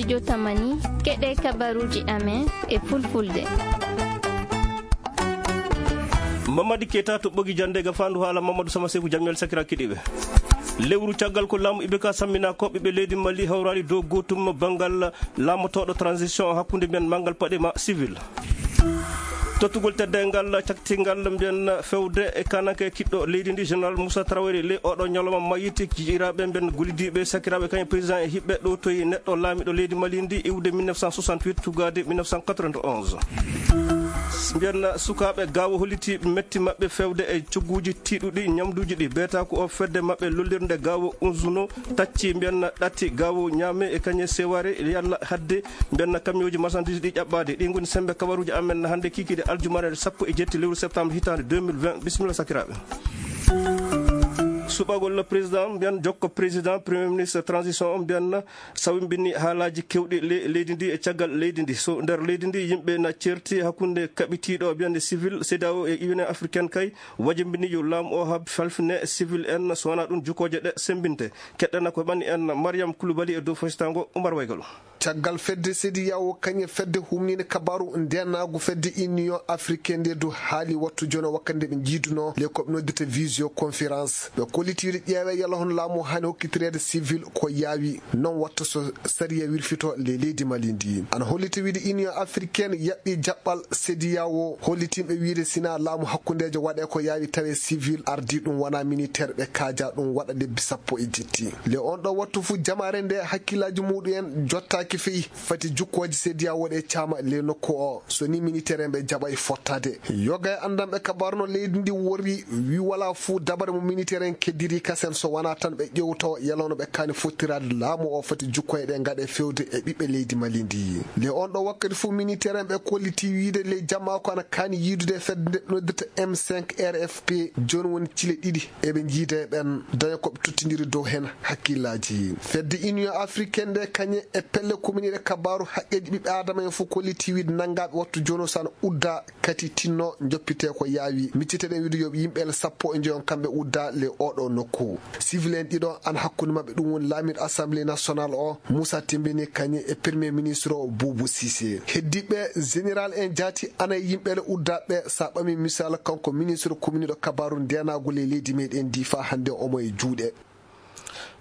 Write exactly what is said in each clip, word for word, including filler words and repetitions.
Jotamani, keɗe kabaruji amen e fulfulde. Mamadi Keita to ɓogi jande ga fandu hala Mamadou Sama Sefu Jamel sakira kiɗiɓe. Lewru caggal ko laamu I B K sammina ko ɓiɓɓe leydi Mali hawrali dow gotum bangal laamotoɗo transition hakkunde men mangal paɗe ma civil. Tottugol teddengal caktingal mbiyen fewde e kananke kiɗɗo leydi ndi, Général Moussa Traoré, ley oɗo ñalawma mayiti, jiiraɓe mbiyen gollidiɓe sakiraɓe kañum président e hiɓɓe ɗo toyi neɗɗo laamiɗo leydi Mali ndi iwde mille neuf cent soixante-huit tugade mille neuf cent quatre-vingt-onze. Mbiyen sukaɓe gawo holliti metti maɓɓe fewde e cogguji tiɗuɗi ñamduji ɗi beeta ko o fedde maɓɓe lollirde gawo unzuno tacci mbiyen ɗatti gawo ñaame e kañe seware yalla hadde mbiyen kamioji marchandise ɗi ƴaɓɓade. Ɗi ngoni sembe kabaruji amen hande kikiɗe aljumare sappo e jetti lewru septembre hitande deux mille vingt. Bisimilla sakiraɓe. Suɓagol président mbiyen jokko président premier ministre transition on mbiyen sawimbini haalaji kewɗi le-, leydi ndi e caggal leydi ndi. So nder leydi ndi yimɓe na certi hakkunde kaɓitiɗo mbiyen civil, CEDEAO e Union africaine kay wajimbini yo laamu o hab falfine civil en, so wona ɗum jukoje ɗe sembinte. Keɗɗana ko ɓanni en Mariam Koulibaly e dow fasitango Oumar Waygalo. Caggal fedde CEDEAO kañe fedde humninde kabaru ndenaagu fedde Union africaine nde du haali wattu jono wakkati nde ɓe njiiduno le ko ɓe noddirta visioconférence. Ɓe kollitiiɗo ƴeewe yalla hono laamu hani hokkitireede civil ko yaawi. Non watta so sariya wirfito le leydi Mali ndi. Ana holliti wiide Union africaine yaɓɓi jaɓɓal CEDEAO, hollitinɓe wiide sina laamu hakkundeejo waɗe ko yaawi tawe civil ardi ɗum wona militaire ɓe kaaja ɗum waɗa lebbi sappo e jetti. Le on ɗo wattu fu jamaare nde hakkillaaji muɗum en jottaaki fey fati jukkooji CEDEAO ɗe caama le nokku o. So ni militaire en ɓe jaɓa e fottaade. Yoga e anndanɓe kabaru no leydi ndi worri wi wala fu dabare mo militaire en keddiri kasen so wona tan ɓe ƴewto yalono ɓe kaani fottiraade laamu o fati jukkoye ɗe ngaɗe fewde e ɓiɓɓe leydi Mali ndi. Le on ɗo wakkati fu militaire en ɓe kolliti wiide le jamma ko ana kaani yiidude fedde nde noddirta M cinq R F P. Jooni woni cile ɗiɗi eɓe jiida e ɓen daña ko ɓe tottindiri dow hen hakkillaaji. Fedde Union africaine nde kañe e pelle kominiɗe kabaru haqqeeji ɓiɓɓe adama en fof kolliti wiide nanngaɓe wattu jooni o sana udda kati tinno joppite ko yaawi. Micciteɗen wiide yo yimɓe sappo e joyon kamɓe udda le oɗo nokku. Civil en ɗiɗo an hakkunde maɓɓe ɗum woni laamiɗo assemblée nationale o Moussa Tembeni kañe e premier ministre o Boubou Cissé. Heddiɓe général en jaati ana e yimɓe le uddaɓe sa ɓami misal kanko ministre communiɗo kabaru ndenagol e leydi meɗen ndi fa hannde omo e juuɗe.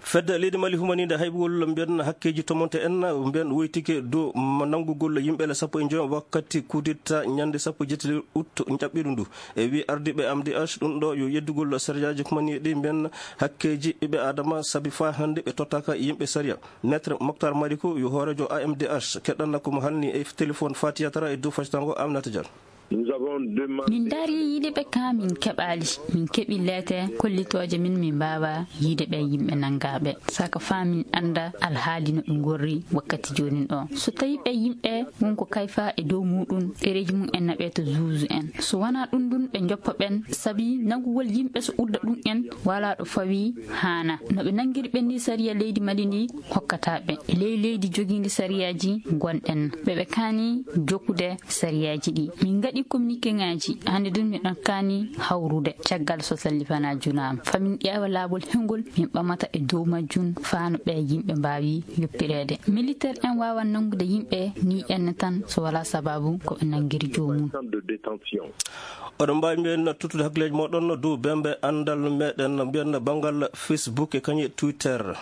Fedde leydi Mali humaninde haybugol mbiyen hakkeeji tomonte en mbiyen woytike dow ma-, nanngugol yimɓe le sappo e joy wakkati kudetta ñande sappo e jetti lewru ut njaɓɓiɗo ndu. E wi ardiiɓe M D H ɗum ɗo yo yeddugol sariyaaji humaniiɗi mbiyen hakkeeji ɓiɓɓe Adama sabi faa hannde ɓe tottaka yimɓe sariya. Maître Moctar Mariko yo hooreejo A M D H keɗanna ko mo halni e téléphone Fatiya Tara e dow fasitango Aminata Diallo. Nous avons demandé. Min ndaari yiide ɓe ka min keɓaali. Min keɓi leete kollitooje min, min mbaawa yiide ɓe yimɓe nanngaaɓe. Saka faa min annda alhaali no ɓe ngorri wakkati joonin ɗo. So tawi ɓe yimɓe won ko kayfa e dow muɗum, ɗereeji mum en naɓe to zuuzu en. So wanaa ɗum ɗum ɓe njoppa ɓen, sabi nanngugol yimɓe so udda ɗum en, walaa ɗo fawi haana. No ɓe nanngiri ɓen ni sariya leydi Mali ndi hokkata ɓe. E ley leydi jogiindi sariyaaji ngonɗen. Ɓe ɓe kaani jokkude sariyaaji ɗi. Min ngaɗi communiqué ŋaaji. Hannde ɗum miɗon kaani hawrude. Caggal so sallifana junaama. Fa min ƴeewa laawol hengol min ɓamata e dow majjum faa no ɓe yimɓe mbaawi yoppireede. Militaire en waawan nanngude yimɓe ni enne tan so walaa sababu ko ɓe nanngiri joomum. Oɗon mbaawi mbiyen tottude hakkileeji mooɗon dow bembe anndal meɗen mbiyen banngal Facebook e kañe Twitter.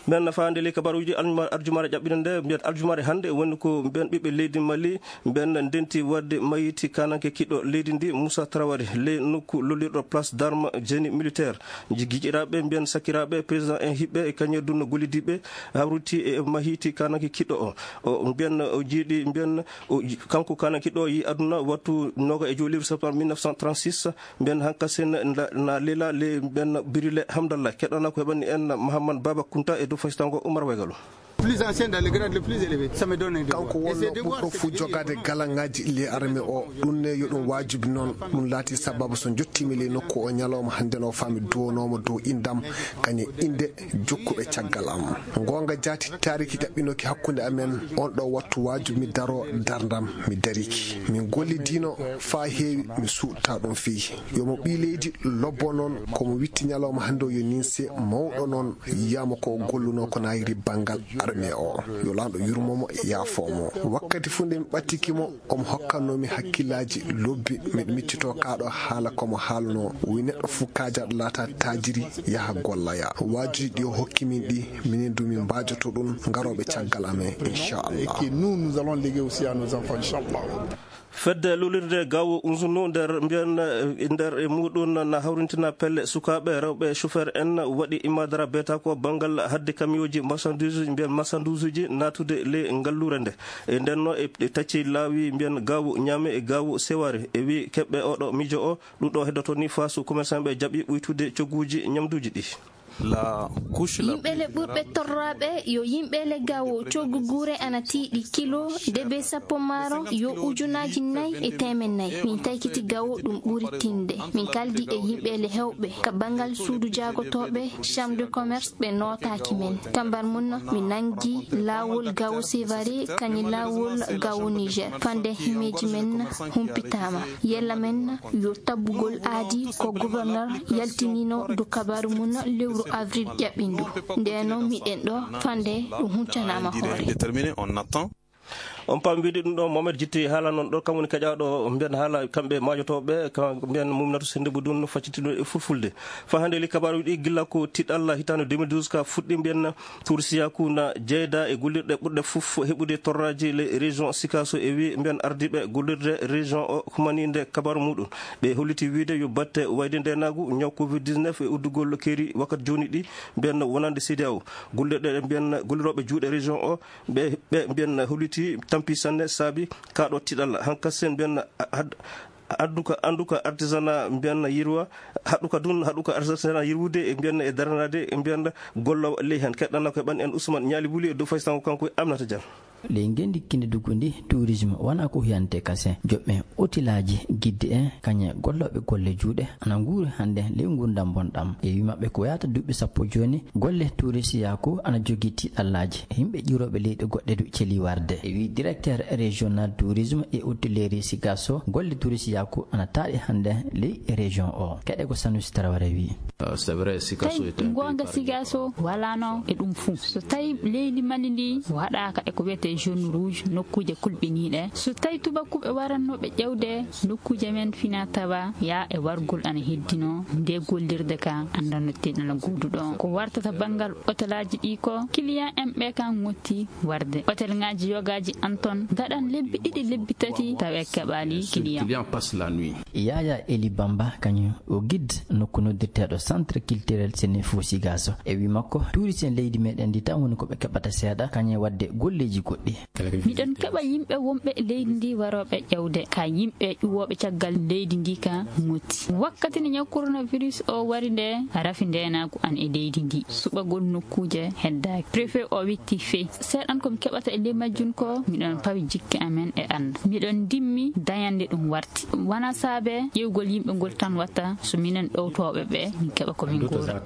Mbiyen nafaande ley kabaruuji aljuma-, aljumare ƴaɓɓinde nde, mbiyen aljumare hannde woni ko mbiyen ɓiɓɓe leydi Mali, mbiyen ndenti waɗde mayiti kananke kiɗɗo leydi ndi, Moussa Traoré, ley nokku lollirɗo Place d'Armes, génie militaire. Ji-, giƴiraaɓe, mbiyen sakiraaɓe, président en hiɓɓe e kañe dunno gollidiiɓe, hawriti e mahiti kananke kiɗɗo o. O, mbiyen o jiiɗi, mbiyen o ji-, kanko kananke ɗo yi aduna wattu noga e joyi lewru septembre mille neuf cent trente-six, mbiyen hankasin na, na lela le mbiyen Birile Hamdallah. Keɗɗana ko heɓani en Mahamman Baba Kunta e dow fasitango Oumar Waygalo. Plus ancien dans le grade le plus élevé. Ça me donne un devoir. Kanko wonno ɓurɗo fuu jogaade galaŋaaji ley armée o. Ɗum ne yo ɗum waajibi noon. Ɗum laati sababu so njottiimi ley nokku o ñalawma hannde no faa mi duwanooma dow inndam, kañum innde jokkuɓe caggal am. Goonga jaati, taariki ɗaɓɓinooki hakkunde amen. On ɗo wattu waajibi mi daroo darndam, mi dariki. Min gollidiino faa heewi, mi suuɗta ɗum fii. Yo mo ɓii leydi lobbo noon, ko mo witti ñalawma hannde o yo ninse mawɗo noon, yiyaama ko o gollunoo ko naayiri banngal armée o. Yo Laamɗo yurmo mo, yaafoo mo. Wakkati fuu nde mi ɓattiki mo, omo hokkannoo mi hakkillaaji lobbi, miɗo miccitoo kaa ɗo haala ko mo haalnoo. O wiyi neɗɗo fuu kaajaaɗo laata taajiri, yaha golloya. Waajuuji ɗi o hokki min ɗi, minen du min mbaajoto ɗum, ngarooɓe caggal amen, inchallah. Et que nous, nous allons léguer aussi à nos enfants, inchallah. Fedde lulirde gawo Uzunu nder mbiyen, eh, nder e muɗum na hawrintina pelle sukaaɓe rewɓe chauffeur en waɗi imadara beeta ko banngal hadde camion ji marchandise, mbiyen marchandise ji naatude le ngallure nde. E nden no e, e tacci laawi mbiyen gawo Ñaame e gawo Seware. E wi keɓɓe oɗo miijo o, ɗum ɗo heddoto ni faasu commerçant ɓe jaɓi ɓuytude cogguuji ñamduuji ɗi. La couche la Yimɓe le ɓurɓe torraaɓe yo yimɓe le gawo coggu guure ana tiiɗi kilo debe sappo maaro yo ujunaaji nayi e teemen nayi. Min taykiti gawo ɗum ɓuri tinde. Min kaldi e yimɓe le hewɓe ka banngal suudu jaagotooɓe, chambre de commerce, ɓe nootaaki men. Kambar mun, mi nangi laawol gawo Sevare, kañi laawol gawo Niger. Fande himeeji men humpitaama. Yella men yo tabbugol aadi ko gouverneur yaltinino du kabaru mun lewru avril ƴaɓɓindu. Ndeno miɗen ɗo fande ɗum huncanaama hoore. Déterminé, on attend. On paam wiide ɗum ɗo Mohamed Jitti haala noon ɗo kam woni keƴaaɗo mbiyen haala kamɓe maajotooɓe, ka mbiyen Mumnatu Sennde Budun faccitiiɗo e fulfulde. Fa hannde li kabaruuji ɗi gilla ko tiɗalla hitaande deux mille douze ka fuɗɗi mbiyen Tuur Siyaku na jeyda e gollirɗe ɓurɗe fof heɓude torraaji le région Sikaso e wi mbiyen ardiiɓe gollirde région o humaniinde kabaru muɗum. Ɓe holliti wiide yo batte wayde ndeenaagu ñaw covid dix-neuf e uddugol keeri wakkati jooni ɗi mbiyen wonande C D A O. Gollirɗe ɗe mbiyen gollirooɓe juuɗe région o ɓe, ɓe mbiyen holliti tampi sanne saabi kaɗo tiɗalla. Hankasen mbiyen had-, hadduka, annduka artisanat mbiyen yirwa, haɗuka dun, haɗuka artisanat yirwude e mbiyen e daranaade e mbiyen gollo ley hen. Keɗɗana ko ɓan en Ousmane Ñaali Wuli e dow faysango kanko e Aminata Diallo. Ley ngenndi kindidugu ndi, tourisme wonaa ko hiyante kasen. Joɓɓe otelaaji, gidde en, kañe gollooɓe golle juuɗe, ana nguuri hannde ley nguurndam bonɗam. E wi maɓɓe ko yaata duuɓi sappo jooni, golle tourisiyaaku ana jogii tiiɗallaaji. Yimɓe ƴiwrooɓe leyɗe goɗɗe du celi warde. E wi directeur régional tourisme et hôtellerie Sikasso, golle tourisiyaaku ana taaɗi hannde ley région o. Keɗe ko Sanusi Traoré wi. Euh, c'est vrai, Sikasso Tawi est un goonga pays Sigaso walaano e ɗum fuu. So tawi leydi Mali ndi waɗaaka e ko wiyetee zone rouge, nokkuuje kulɓiniiɗe, so tawi tubakuɓe warannooɓe ƴewde nokkuuje men fina tawa yaa e wargol ana heddino, nde gollirde ka anndanno teɗala gooduɗo. Ko wartata banngal otelaaji ɗi ko client en ɓe kan ŋotti warde. Otel ŋaaji yogaaji an ton ngaɗan lebbi ɗiɗi, lebbi tati tawa e keɓaali client. Client passe la nuit. Yaya Eli Bamba, kañum o guide nokku noddirteeɗo Centre Culturel Sénéfou Sigasso. E wi makko, tourisien leydi meɗen ndi tan woni ko ɓe keɓata seeɗa, kañum e waɗde golleeji goɗɗi. Miɗen keɓa yimɓe wonɓe e leydi ndi warooɓe ƴewde ka yimɓe ƴuwooɓe caggal leydi ndi ka ŋotti. Wakkati nde ñaw coronavirus o wari nde, rafi ndeenaagu an e leydi ndi. Suɓagol nokkuuje heddaaki. Préfet o witti fey. Seeɗan ko mi keɓata e ley majjum ko miɗon pawi jikke amen e Allah. Miɗon ndimmi dañande ɗum warti. Wona saabe ƴeewgol yimɓe ngol tan watta so minen ɗowtooɓe ɓe min keɓa ko min nguura.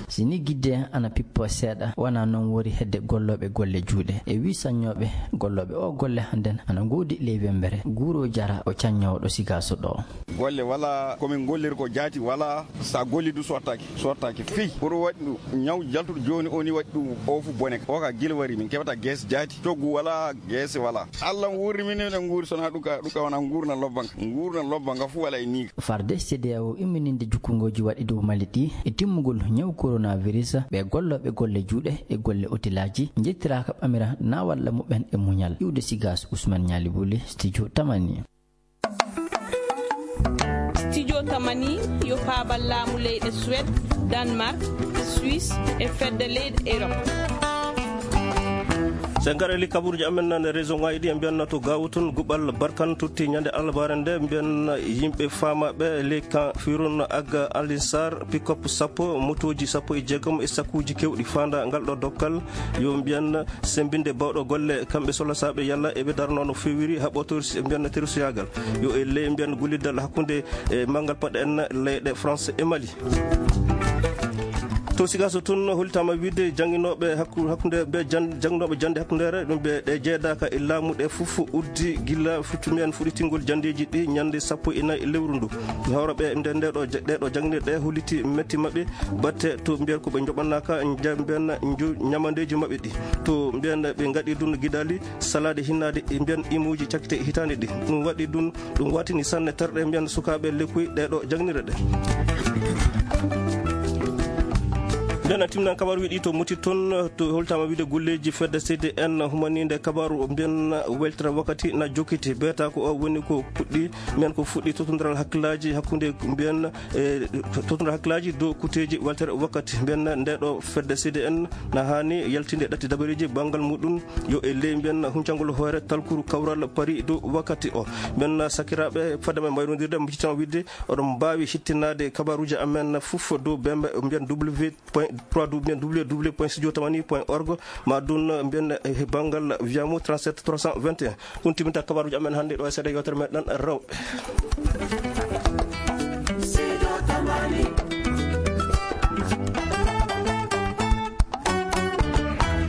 Si ni gidde ana pippo seeɗa, wona noon wori hedde gollooɓe golle juuɗe. E wi saññooɓe gollooɓe o golle hannden ana ngoodi ley wembere. Guuro Jara o caññoowo ɗo Sigaso ɗo. Golle wala, ko min golliri ko jaati wala, sa golli du sottaaki, sottaaki fii. Pour waɗi ɗum ñaw jaltuɗo jooni o ni waɗi ɗum o fu bone. O ka gila wari min keɓata geese jaati, coggu wala, geese wala. Allah wuurni min, minen nguuri sona ɗuka, ɗuka wona nguurna lobba nga. Nguurna lobba nga fu wala e niiga. Farde C D A O immininde jukkungooji waɗi dow Mali ɗi e timmugol ñaw coronavirus, ɓe gollooɓe golle juuɗe e golle otelaaji njettiraaka ɓamira na walla muɓɓen e muñal. Iwde Sigas, Ousmane Ñaali Wuli, Studio Tamani. Studio Tamani yo paabal laamu leyɗe Suède, Danemark, Suisse e fedde leyɗe Europe. So en ngarali kabaruuji amen nane région ngaji ɗi, en mbiyanno to Gaawo tun, Guɓal Barkan totti ñande albaare nde, mbiyan yimɓe faamaaɓe ley kan Firun Agga Alinsar, pick-up sappo, motooji sappo e jeegom e sakuuji kewɗi faanda ngal ɗo dokkal. Yo mbiyan semmbinde bawɗo golle, kamɓe solasaaɓe yalla eɓe darno no feewiri, haɓotori si mbiyan terusiyaagal. Yo e ley mbiyan gulliddal hakkunde e manngal paɗe en leyɗe France e Mali. To Sigaso tun, hollitaama wiide jannginooɓe hakku-, hakkunde ɓe jan-, jannginooɓe jannde hakkundeere, ɗum ɓe ɗe jeedaaka e laamu ɗe fof uddi gila fuɗɗi men fuɗɗitingol janndeeji ɗi ñande sappo e nayi lewru ndu. Hawraɓe nde, nde ɗo ja-, ɗe ɗo jannginirɗe holliti metti maɓɓe, batte to mbiyan ko ɓe njoɓanaaka, njamben nju-, ñamandeeji maɓɓe ɗi. To mbiyan ɓe ngaɗi ɗum gidaali, salaade hinnaade e mbiyan imuuji cakkite hitaande ɗi. Ɗum waɗi ɗum, ɗum watini sanne terɗe mbiyan sukaaɓe lekkuy ɗe ɗo jannginirɗe. Nden a timnan kabaru wiɗi to muti toon, to holtama wiide golleeji fedde C D N humaninde kabaru mbiyan weltere wakkati na jokkiti. Beeta ko o woni ko puɗɗi, mbiyan ko fuɗɗi totondiral hakkillaaji hakkunde mbiyan, e, totondiral hakkillaaji dow kuteeji weltere wakkati. Mbiyan nde ɗo fedde C D N na haani yaltinde ɗatti dabareeji banngal muɗum yo e ley mbiyan huncangol hoore talkuru kawral pari dow wakkati o. Mbiyan sakiraaɓe, fadde men mbayrondirde, mbiccitama wiide oɗon mbaawi hittinaade kabaruuji amen fof dow bembe mbiyan W point trois W, mbiyan W W W point studio tamani point org, ma ɗum mbiyan e banngal Viamo trente-sept trois cent vingt et un. Ɗum timinta kabaruuji amen hannde ɗo e seeɗa yewtere meɗen rewɓe.